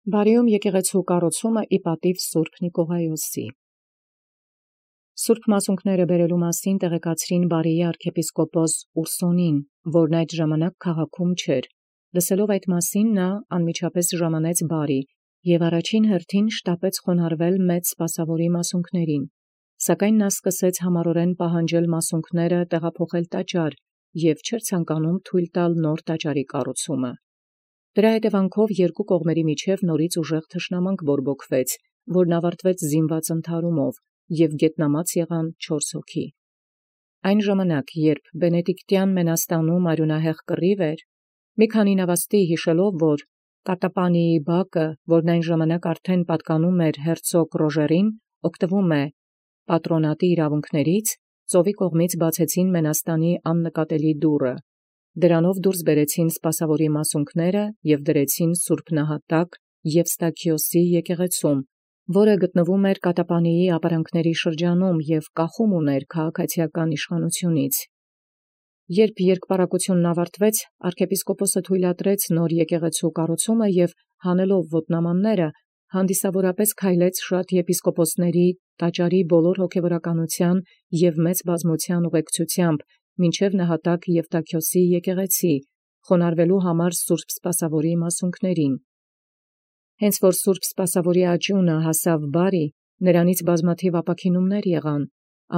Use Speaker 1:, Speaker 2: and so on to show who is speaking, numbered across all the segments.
Speaker 1: Բարիում եկեղեցու կառուցումը ի պատիւ Սուրբ Նիկողայոսի։ Սուրբ մասունքները բերելու մասին տեղեկացրին Բարիի arczepiskopos Ուրսոնին, որն այդ ժամանակ քաղաքում չէր։ Լսելով այդ մասին, նա անմիջապես ժամանեց Բարի և առաջին հերթին շտապեց խոնարհվել մեծ սպասավորի մասունքներին, սակայն նա սկսեց համառորեն պահանջել մասունքները տեղափոխել տաճար և չէր ցանկանում թույլ տալ նոր տաճարի կառուցումը։ Դրա հետևանքով երկու կողմերի միջև նորից ուժեղ թշնամանք բորբոքվեց, որն ավարտվեց զինված ընդհարումով, և գետնամած եղան 4 հոգի։ Այն ժամանակ, երբ Բենեդիկտյան մենաստանում արյունահեղ կռիվ էր, մի քանի նավաստի հիշելով, որ Կատապանիի բակը, որն այն ժամանակ արդեն պատկանում էր հերցոգ Ռոժերին, օգտվում է պատրոնատի իրավունքներից, ծովի կողմից բացեցին մենաստանի աննկատելի դուռը։ Դրանով դուրս բերեցին սպասավորի մասունքները և դրեցին Սուրբ Նահատակ Եվստաքիոսի եկեղեցում, որը գտնվում էր Կատապանիի ապարանքների շրջանում և կախում ուներ քաղաքացիական իշխանությունից։ Երբ երկպառակությունն ավարտվեց, arczepiskopos թույլատրեց նոր եկեղեցու կառուցումը և հանելով ոտնամանները, հանդիսավորապես քայլեց շատ եպիսկոպոսների տաճարի բոլոր հոգևորականության և մեծ բազմության ուղեկցությամբ մինչև Նահատակ Եվստաքիոսի եկեղեցի, խոնարհվելու համար Սուրբ Սպասավորի մասունքներին։ Հենց որ Սուրբ Սպասավորի աճյունը հասավ Բարի, նրանից բազմաթիվ ապաքինումներ եղան,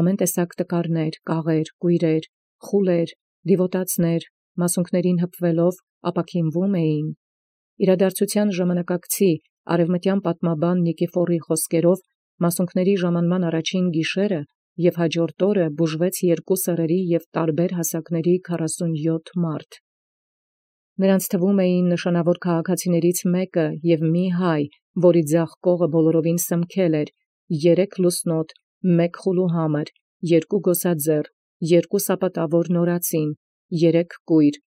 Speaker 1: ամեն տեսակ տկարներ, կաղեր, կույրեր, խուլեր, դիվոտացներ, մասունքներին հպվելով ապաքինվում էին։ Իրադարձության ժամանակակցի արևմտյան պատմաբան Նիկիֆորի խոսքերով, մասունքների ժամանման առաջին գիշերը և հաջորդ օրը բուժվեց երկու սեռերի և տարբեր հասակների 47 մարդ։ Նրանց թվում էին նշանավոր քաղաքացիներից մեկը և մի հայ, որի ձախ կողը բոլորովին սմքել էր, 3 լուսնոտ, 1 խուլուհամր, 2 գոսաձեռ, 2 սապատավոր նորածին, 3 կույր,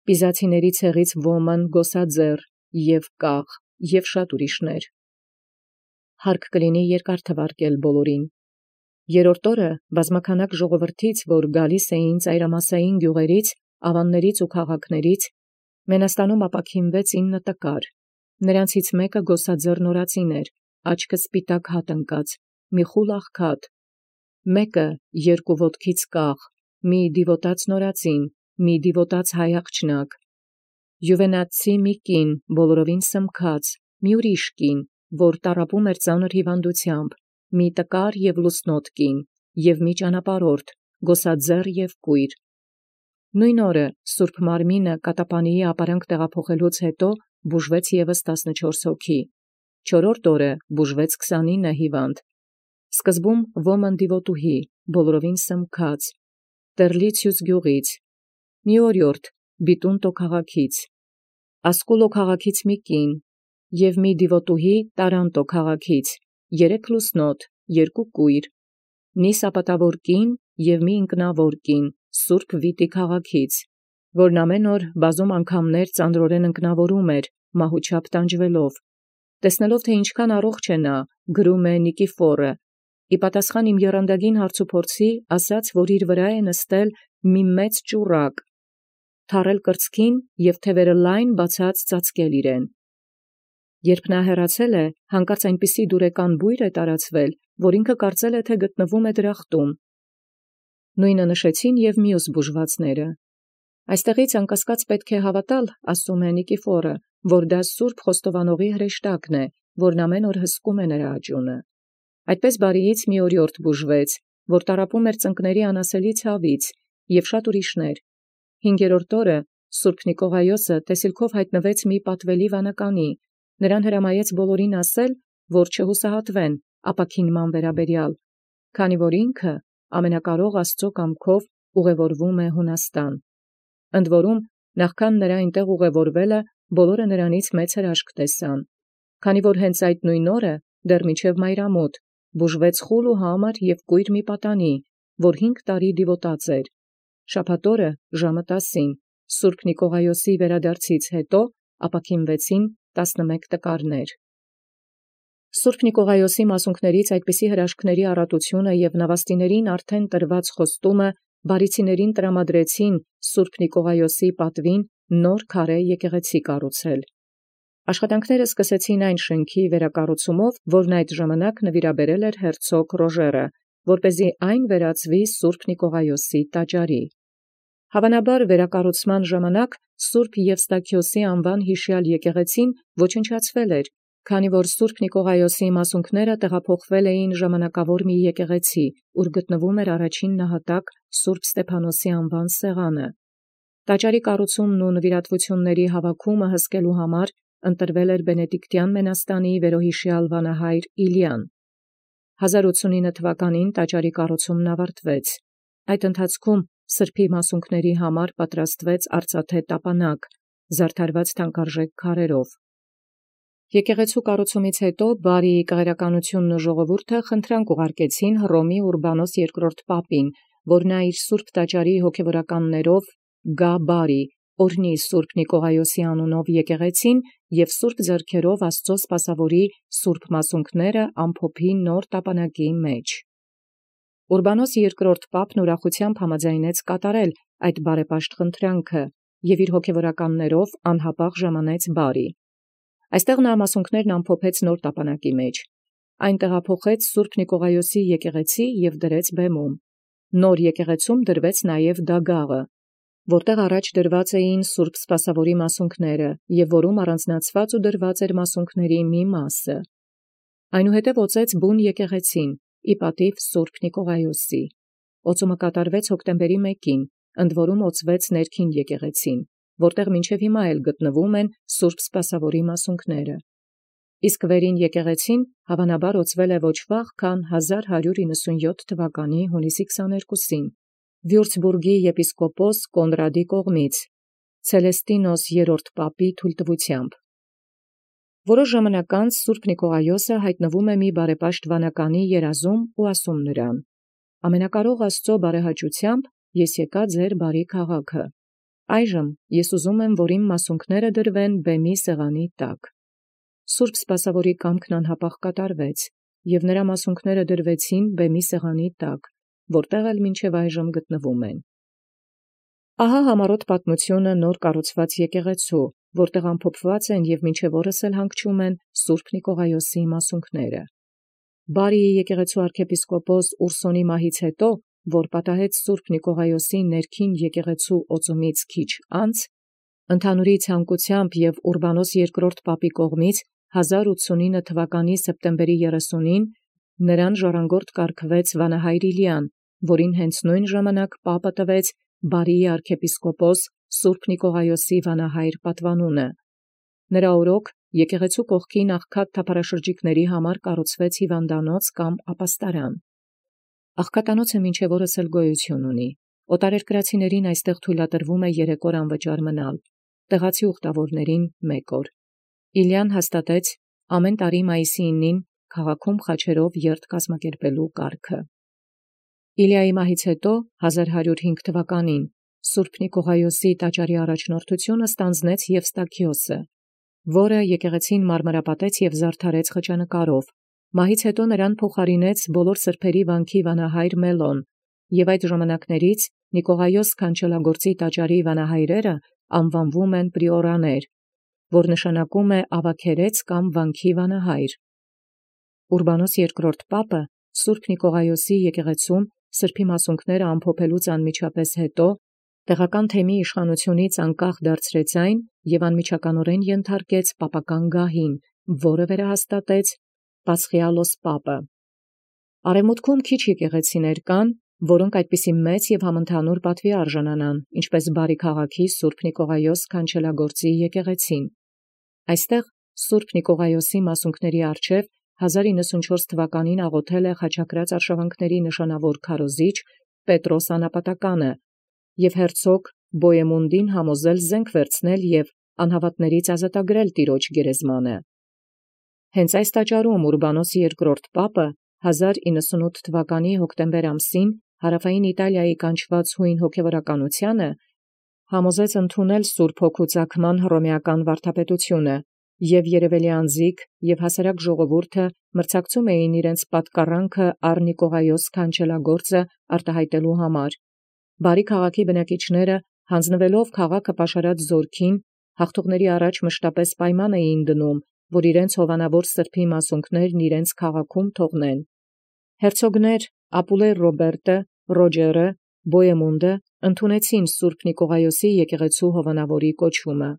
Speaker 1: պիզացիների ցեղից ոմն գոսաձեռ և կաղ և շատ ուրիշներ։ Հարկ կլինի երկար թվարկել բոլորին։ Երրորդ օրը բազմաքանակ ժողովրդից, որ գալիս էին ծայրամասային գյուղերից, ավաններից ու քաղաքներից, մենաստանում ապաքինվեց 9 տկար։ Նրանցից մեկը գոսաձեռ նորածին էր, աչքը սպիտակ հատ ընկած, մի խուլ աղքատ, մեկը 2 ոտքից կաղ, մի դիվոտաց նորածին, մի դիվոտաց հայ աղջնակ, յուվենացի մի կին, բոլորովին սմքած, մի ուրիշ կին, որ տառապում էր ծանր հիվանդությամբ, մի տկար և լուսնոտ կին, և մի ճանապարհորդ, գոսաձեռ և կույր։ Նույն օրը Սուրբ Մարմինը Կատապանիի ապարանք տեղափոխելուց հետո բուժվեց ևս 14 հոգի, 4-րդ օրը բուժվեց 29 հիվանդ, սկզբում ոմն դիվոտուհի, բոլորովին սմքած, Տեռլիցիուս գյուղից, մի օրիորդ Բիտունտո քաղաքից, Ասկուլո քաղաքից մի կին և մի դիվոտուհի Տարանտո քաղաքից, 3 լուսնոտ, 2 կույր, մի սապատավոր կին և մի ինքնավոր կին Սուրբ Վիտի քաղաքից, որն ամեն օր բազում անգամներ ծանրորեն ընկնավորում էր, մահուչապ տանջվելով։ Տեսնելով, թե ինչքան առողջ է նա, գրում է Նիկիֆորը, ի պատասխան իմ եռանդագին հարցուփորձի, ասաց, որ իր վրա է նստել մի մեծ ճուռակ, թառել կրծքին և թևերը լայն բացած ծածկել իրեն։ Երբ նա հեռացել է, հանկարծ այնպիսի դուրեկան բույր է տարածվել, որ ինքը կարծել է, թե գտնվում է դրախտում։ Նույնը նշեցին և մյուս բուժվածները։ Այստեղից անկասկած պետք է հավատալ, ասում է Նիկիֆորը, որ դա Սուրբ Խոստովանողի հրեշտակն է, որն ամեն օր հսկում է նրա աճյունը։ Այդպես Բարիից մի օրիորդ բուժվեց, որ տառապում էր ծնկների անասելի ցավից, և շատ ուրիշներ։ 5-րդ օրը Սուրբ Նիկողայոսը տեսիլքով հայտնվեց մի պատվելի վանականի, նրան հրամայեց բոլորին ասել, որ չհուսահատվեն ապաքինման վերաբերյալ, քանի որ ինքը ամենակարող Աստծո կամքով ուղևորվում է Հունաստան։ Ընդ որում, նախքան նրա այնտեղ ուղևորվելը, բոլորը նրանից մեծ հրաշք տեսան, քանի որ հենց այդ նույն օրը, դեռ մինչև մայրամուտ, բուժվեց խուլ ու համր և կույր մի պատանի, որ 5 տարի դիվոտած էր։ Շաբաթ օրը ժամը 10-ին, Սուրբ Նիկողայոսի վերադարձից հետո ապաքինվեցին 11 տկարներ։ Սուրբ Նիկողայոսի մասունքներից այդպիսի հրաշքների առատությունը և նավաստիներին արդեն տրված խոստումը բարիցիներին տրամադրեցին Սուրբ Նիկողայոսի պատվին նոր քարե եկեղեցի կառուցել։ Աշխատանքները սկսեցին այն շենքի վերակառուցումով, որն այդ ժամանակ նվիրաբերել էր հերցոգ Ռոժերը, որպեսզի այն վերածվի Սուրբ Նիկողայոսի տաճարի։ Հավանաբար վերակառուցման ժամանակ Սուրբ Եվստաքիոսի անվան յիշյալ եկեղեցին ոչնչացվել էր, քանի որ Սուրբ Նիկողայոսի մասունքները տեղափոխվել էին ժամանակավոր մի եկեղեցի, ուր գտնվում էր առաջին նահատակ Սուրբ Ստեփանոսի անվան սեղանը։ Տաճարի կառուցումն ու նվիրատվությունների հավաքումը հսկելու համար ընտրվել էր Բենեդիկտյան մենաստանի վերոհիշյալ վանահայր Իլիան։ 1089 թվականին տաճարի կառուցումն ավարտվեց։ Այդ ընթացքում սրբի մասունքների համար պատրաստվեց արծաթե տապանակ, զարդարված թանկարժեք քարերով։ Եկեղեցու կառուցումից հետո բարի կղերականությունն ու ժողովուրդը խնդրանք ուղարկեցին Հռոմի Ուրբանոս II պապին, որ նա իր սուրբ տաճարի հոգևորականներով գա բարի, օրհնի Սուրբ Նիկողայոսի անունով եկեղեցին և սուրբ ձեռքերով Աստծո սպասավորի սուրբ մասունքները ամփոփի նոր տապանակի մեջ։ Ուրբանոս II պապն ուրախությամբ համաձայնեց կատարել այդ բարեպաշտ խնդրանքը և իր հոգևորականներով անհապաղ ժամանեց բարի։ Այստեղ նա մասունքներն ամփոփեց նոր տապանակի մեջ։ Այն տեղափոխեց Սուրբ Նիկողայոսի եկեղեցի և դրեց բեմում։ Նոր եկեղեցում դրվեց նաև դագաղը, որտեղ առաջ դրված էին Սուրբ Սպասավորի մասունքները և որում առանձնացված ու դրված էր մասունքների մի մասը։ Այնուհետև օծեց բուն եկեղեցին, ի պատիվ Սուրբ Նիկողայոսի։ Օծումը կատարվեց հոկտեմբերի 1-ին, ընդ որում օծվեց ներքին եկեղեցին, որտեղ մինչև հիմա էլ գտնվում են Սուրբ Սպասավորի մասունքները։ Իսկ վերին եկեղեցին հավանաբար օծվել է ոչ վաղ, քան 1197 թվականի հունիսի 22-ին, Վյուրցբուրգի եպիսկոպոս Կոնրադի կողմից, Ցելեստինոս III պապի թույլտվությամբ։ Որոշ ժամանակ անց Սուրբ Նիկողայոսը հայտնվում է մի բարեպաշտ վանականի երազում ու ասում նրան. «Ամենակարող Աստծո բարեհաճությամբ ես եկա ձեր բարի քաղաքը։ Այժմ ես ուզում եմ, որ իմ մասունքները դրվեն բեմի սեղանի տակ»։ Սուրբ Սպասավորի կամքն անհապաղ կատարվեց, և նրա մասունքները դրվեցին բեմի սեղանի տակ, որտեղ էլ մինչև այժմ գտնվում են։ Ահա համառոտ պատմությունը նոր կառուցված եկեղեցու, որտեղ ամփոփված են և մինչև օրս էլ հանգչում են Սուրբ Նիկողայոսի մասունքները։ Բարիի եկեղեցու arczepiskopos Ուրսոնի մահից հետո, որ պատահեց Սուրբ Նիկողայոսի ներքին եկեղեցու օծումից քիչ անց, ընդհանուրի ցանկությամբ և Ուրբանոս II պապի կողմից 1089 թվականի սեպտեմբերի 30-ին նրան ժառանգորդ կարգվեց վանահայր Իլիան, որին հենց նույն ժամանակ պապը տվեց Բարիի arczepiskopos Սուրբ Նիկողայոսի վանահայր պատվանունը։ Նրա օրոք եկեղեցու կողքի աղքատ թափառաշրջիկների համար կառուցվեց հիվանդանոց կամ ապաստարան։ Աղքատանոցը մինչև օրս էլ գոյություն ունի։ Օտարերկրացիներին այստեղ թույլատրվում է 3 օր անվճար մնալ, տեղացի ուխտավորներին 1 օր։ Իլիան հաստատեց ամեն տարի մայիսի 9-ին քաղաքում խաչերով երթ կազմակերպելու կարգը։ Իլիայի մահից հետո 1105 թվականին Սուրբ Նիկողայոսի տաճարի առաջնորդությունը ստանձնեց Եվստաքիոսը, որը եկեղեցին մարմրապատեց և զարդարեց խճանկարով։ Մահից հետո նրան փոխարինեց բոլոր սրբերի վանքի վանահայր Մելոն, և այդ ժամանակներից Նիկողայոս քանչելագործի տաճարի վանահայրերը անվանվում են պրիորաներ, որ նշանակում է ավագերեց կամ վանքի վանահայր։ Ուրբանոս II պապը Սուրբ Նիկողայոսի եկեղեցում սրբի մասունքները ամփոփելուց անմիջապես հետո տեղական թեմի իշխանությունից անկախ դարձրեց այն և անմիջականորեն ենթարկեց պապական գահին, որը վերահաստատեց Պասխիալոս պապը։ Արևմուտքում քիչ եկեղեցիներ կան, որոնք այդպիսի մեծ և համընդհանուր պատվի արժանանան, ինչպես Բարի քաղաքի Սուրբ Նիկողայոս քանչելագործի եկեղեցին։ Այստեղ Սուրբ Նիկողայոսի մասունքների առջև 1094 թվականին աղոթել է խաչակրաց արշավանքների նշանավոր քարոզիչ Պետրոս Անապատականը և հերցոգ Բոյեմունդին համոզել զենք վերցնել և անհավատներից ազատագրել տիրոջ գերեզմանը։ Հենց այս տաճարում Ուրբանոս II պապը 1098 թվականի հոկտեմբեր ամսին հարավային Իտալիայի կանչված հույն հոգևորականությանը համոզեց ընդունել Սուրբ Հոգու ծագման հռոմեական վարդապետությունը, և երևելի անձիկ և հասարակ ժողովուրդը մրցակցում էին իրենց պատկառանքը առ Նիկողայոս քանչելագործը արտահայտելու համար։ Բարի քաղաքի բնակիչները, հանձնվելով քաղաքը պաշարած զորքին, հաղթողների առաջ մշտապես պայման էին դնում, որ իրենց հովանավոր սրբի մասունքներն իրենց քաղաքում թողնեն։ Հերցոգներ Ապուլեր Ռոբերտը, Ռոջերը, Բոյեմունդը ընդունեցին Սուրբ Նիկողայոսի եկեղեցու հովանավորի կոչումը։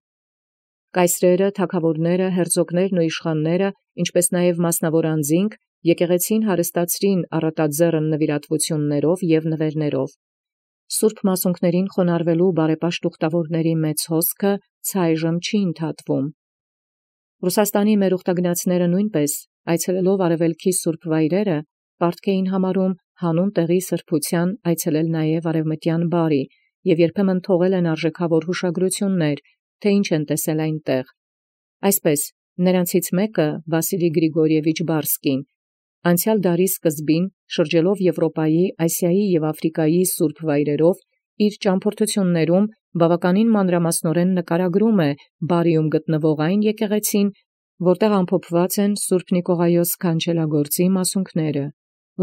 Speaker 1: Կայսրերը, թագավորները, հերցոգներն ու իշխանները, ինչպես նաև մասնավոր անձինք, եկեղեցին հարստացրին առատաձեռն նվիրատվություններով և նվերներով։ Սուրբ մասունքներին խոնարհվելու բարեպաշտ ուխտավորների մեծ հոսքը ցայժմ չի ընդհատվում։ Ռուսաստանի մեր ուխտագնացները նույնպես, այցելելով արևելքի սուրբ վայրերը, պարտք էին համարում հանուն տեղի սրբության այցելել նաև արևմտյան բարի և երբեմն թողել են արժեքավոր հուշագրություններ, թե ինչ են տեսել այնտեղ։ Այսպես, նրանցից մեկը, Վասիլի Գրիգորիևիչ Բարսկին, անցյալ դարի սկզբին, շրջելով Եվրոպայի, Ասիայի և Աֆրիկայի սուրբ վայրերով, իր ճամփորդություններում բավականին մանրամասնորեն նկարագրում է բարիում գտնվող այն եկեղեցին, որտեղ ամփոփված են Սուրբ Նիկողայոս քանչելագործի մասունքները։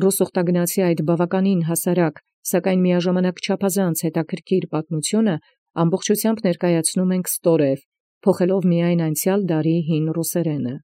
Speaker 1: Ռուս ուխտագնացի այդ բավականին հասարակ, սակայն միաժամանակ չափազանց հետաքրքիր պատմությունը ամբողջությամբ ներկայացնում ենք ստորև, փոխելով միայն անցյալ դարի հին ռուսերենը։